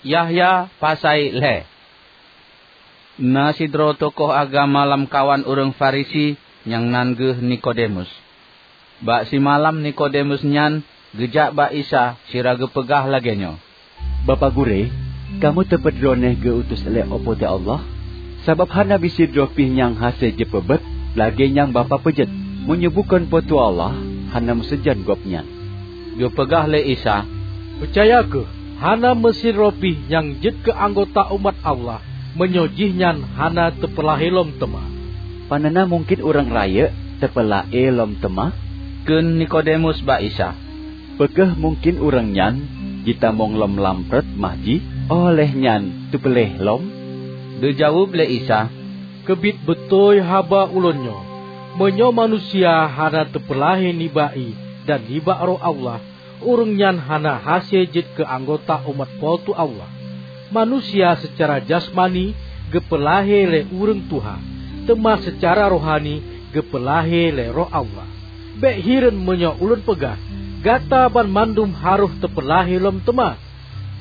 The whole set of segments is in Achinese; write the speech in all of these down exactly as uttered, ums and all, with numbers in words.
Yahya pasai lhée. Na sidroe tokoh agama lamkawan ureuëng Farisi nyang nan geuh Nikodemus. Bak simalam Nikodemus nyan geujak bak Isa sira geupeugah lagée nyoe, "Bapak Gurée, kamoe teupeu droeneueh geu-utus lé Po teu Allah? Sabab hana bisidroe pih nyang hase jipeubeuet lagée nyang Bapak peujeuet. Meunyoe bukon Po teu Allah, hana meusajan Gobnyan." Geupeugah lé Isa, "Peucaya kheueh, hana meusidroe pih nyang jeuet keu anggota umat Allah meunyoe jihnyan hana teupeulahé lom teuma." "Panena mungken ureuëng rayeuk teupeulahé lom teuma?" kheun Nikodemus bak Isa. "Peu kheueh mungken ureuëng nyan jitamong lom lam prot mah jih, óh lheueh nyan teupeulahé lom?" Geujaweueb lé Isa, "Keubiet beutôi haba Ulôn nyoe: Meunyoe manusia hana teupeulahé nibak ié dan nibak Roh Allah, ureuëng nyan hana hase jeuet keu anggota umat Po teu Allah. Manusia seucara jasmani geupeulahé lé ureuëng tuha, teuma seucara rohani geupeulahé lé Roh Allah. Bék hireuen meunyoe Ulôn peugah, 'Gata banmandum harôh teupeulahé lom teuma.'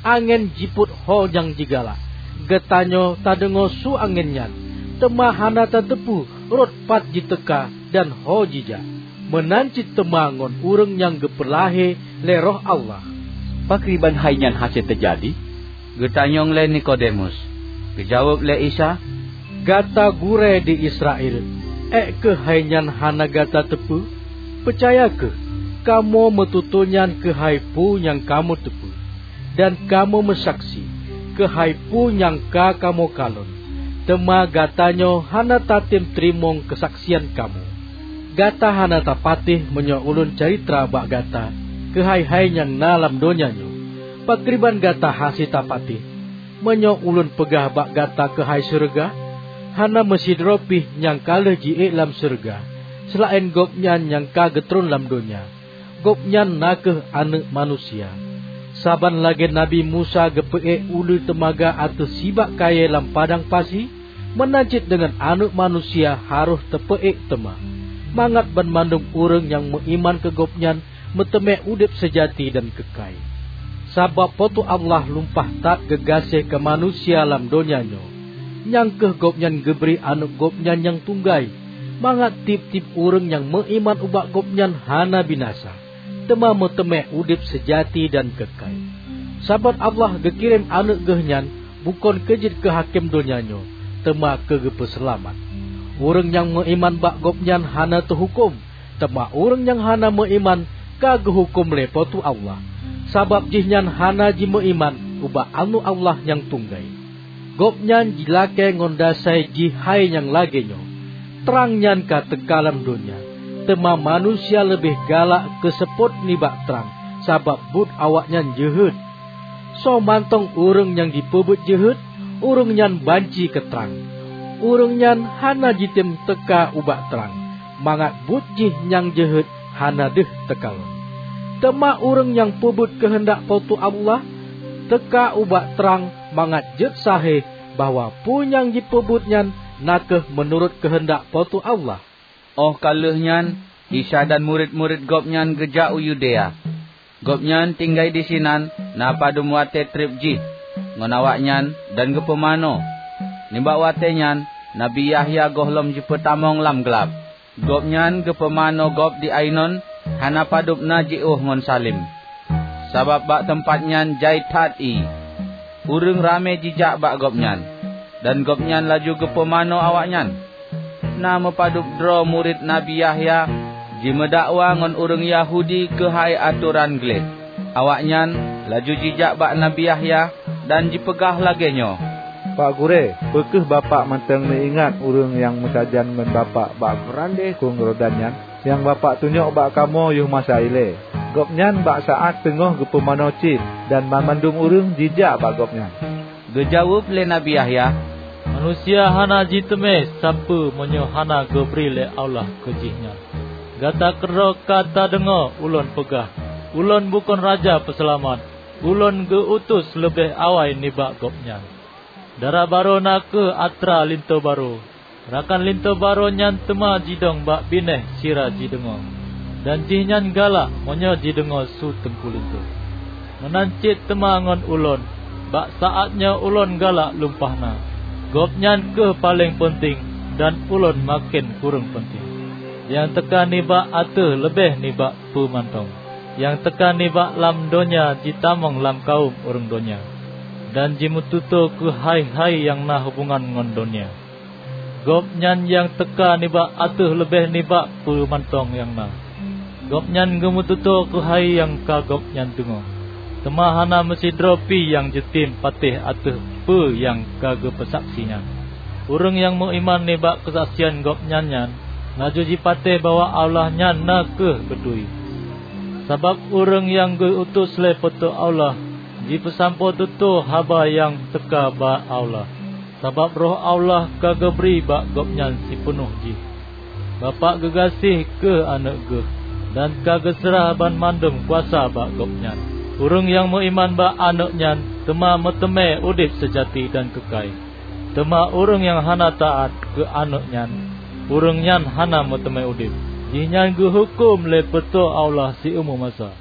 Angén jipôt ho nyang jigalak. Geutanyoe tadeungoe su angén nyan, teuma hana tateupeue rot pat jiteuka dan ho jijak. Meunan cit teuma ngon ureuëng nyang geupeulahé lé Roh Allah." "Pakriban hai nyan hase teujadi?" geutanyong lé Nikodemus. Geujaweueb lé Isa, "Gata gurée di Israel, ék keuh hai nyan hana gata teupeue? Peucaya kheueh, kamoe meututoe nyan keuhai peue nyang kamoe teupeue, dan kamoe meusaksi keuhai peue nyang ka kamoe kalon, teuma gatanyoe hana tatem teurimong keusaksian kamoe. Gata hana tapatéh meunyoe Ulôn calitra bak gata keuhai hai nyang na lam donya nyoe. Pakriban gata hase tapatéh meunyoe Ulôn peugah bak gata keuhai syeuruga? Hana meusidroe pih nyang ka lheueh jiék lam syeuruga, seulaén Gobnyan nyang ka geutron lam donya. Gobnyan na kheueh Aneuëk Manusia. Saban lagée Nabi Musa geupeuék uleue teumaga ateueh sibak kayée lam padang pasi, meunan cit deungon Aneuëk Manusia harôh teupeuék teuma, mangat banmandum ureuëng nyang meuiman keu Gobnyan meuteumé udeb seujati dan keukai. Sabab Po teu Allah lumpah that geugaséh keu manusia lam donya nyoe, nyang kheueh Gobnyan geubri Aneuëk Gobnyan nyang tunggai, mangat tieb-tieb ureuëng nyang meuiman ubak Gobnyan hana binasa, teuma meuteumé udeb seujati dan keukai. Sabab Allah geukirém Aneuëk Geuh nyan bukon keu jeuet keu hakém donya nyoe, teuma keu geupeuseulamat. Ureuëng nyang meuiman bak Gobnyan hana teuhuköm, teuma ureuëng nyang hana meuiman ka geuhuköm lé Po teu Allah, sabab jihnyan hana jimeuiman ubak Aneuëk Allah nyang tunggai. Gobnyan jilakée ngon dasai jih hai nyang lagée nyoe, 'Trang nyan ka teuka lam donya, teuma manusia leubeh galak keu seupôt nibak trang, sabab buet awaknyan jeuhet. Soe mantong ureuëng nyang jipeubuet jeuhet, ureuëng nyan banci keu trang. Ureuëng nyan hana jitem teuka ubak trang, mangat buet jih nyang jeuhet hana deuh teukalon. Teuma ureuëng nyang peubuet keuheundak Po teu Allah teuka ubak trang, mangat jeuet sahéh bahwa peue nyang jipeubuet nyan na kheueh meunurot keuheundak Po teu Allah." Óh ka lheueh nyan, Isa dan murit-murit Gobnyan geujak u Yudea. Gobnyan tinggai disinan na padub watée treb jih ngon awaknyan dan geupumanö. Nibak watée nyan Nabi Yahya gohlom jipeutamong lam glab. Gobnyan geupumanö gob di Ainon hana padub na jiôh ngon saleuem, sabab bak teumpat nyan jai that ié. Ureuëng ramé jijak bak Gobnyan, dan Gobnyan laju geupumanö awaknyan. Na meupadub droe murit Nabi Yahya jimeudakwa ngon ureuëng Yahudi keuhai atoran gleh. Awaknyan laju jijak bak Nabi Yahya dan jipeugah lagée nyoe, "Pak Gurée, peu kheueh Bapak mantong meuingat ureuëng nyang meusajan ngon Bapak bak meurandeh krueng Yordan nyan, nyang Bapak tunyok bak kamoe yoh masa ilée? Gobnyan bak saát teungoh geupumanö cit, dan banmandum ureuëng jijak bak Gobnyan." Geujaweueb lé Nabi Yahya, "Manusia hana jiteumé sapeue meunyoe hana geubri lé Allah keu jihnyan. Gata keudroe ka tadeungoe ulôn peugah, 'Ulôn bukon Raja Peuseulamat, ulôn geu-utus leubeh awai nibak Gobnyan.' Dara barô na kheueh atra linto barô. Rakan linto barô nyan teuma jidong bak binéh sira jideungoe, dan jihnyan galak meunyoe jideungoe su teungku linto. Meunan cit teuma ngon ulôn, Bak saát nyoe ulôn galak lumpah na. Gobnyan kheueh paleng peunteng, dan ulôn maken kureueng peunteng. Nyang teuka nibak ateueh leubeh nibak peue mantong. Nyang teuka nibak lam donya jitamong lam kawöm ureuëng donya, dan jimeututoe keuhai-hai nyang na hubongan ngon donya. Gobnyan nyang teuka nibak ateueh leubeh nibak peue mantong nyang na. Gobnyan geumeututoe keuhai nyang ka gobnyan deungoe, teuma hana meusidroe pih nyang jitem patéh ateueh peue nyang ka geupeusaksi nyan. Ureuëng nyang meuiman nibak keusaksian gobnyan nyan, laju jipatéh bahwa Allah nyan na kheueh beutôi. Sabab ureuëng nyang geu-utus lé Po teu Allah jipeusampoe tutoe haba nyang teuka bak Allah, sabab Roh Allah ka geubri bak gobnyan sipeunoh jih. Bapak geugaséh kheueh Aneuëk Geuh, dan ka geuseurah banmandum kuasa bak Gobnyan. Ureuëng nyang meuiman bak Aneuëk nyan teuma meuteumé udeb seujati dan keukai. Teuma ureuëng nyang hana taát keu Aneuëk nyan, ureuëng nyan hana meuteumé udeb. Jihnyan geuhuköm lé Po teu Allah siumu masa.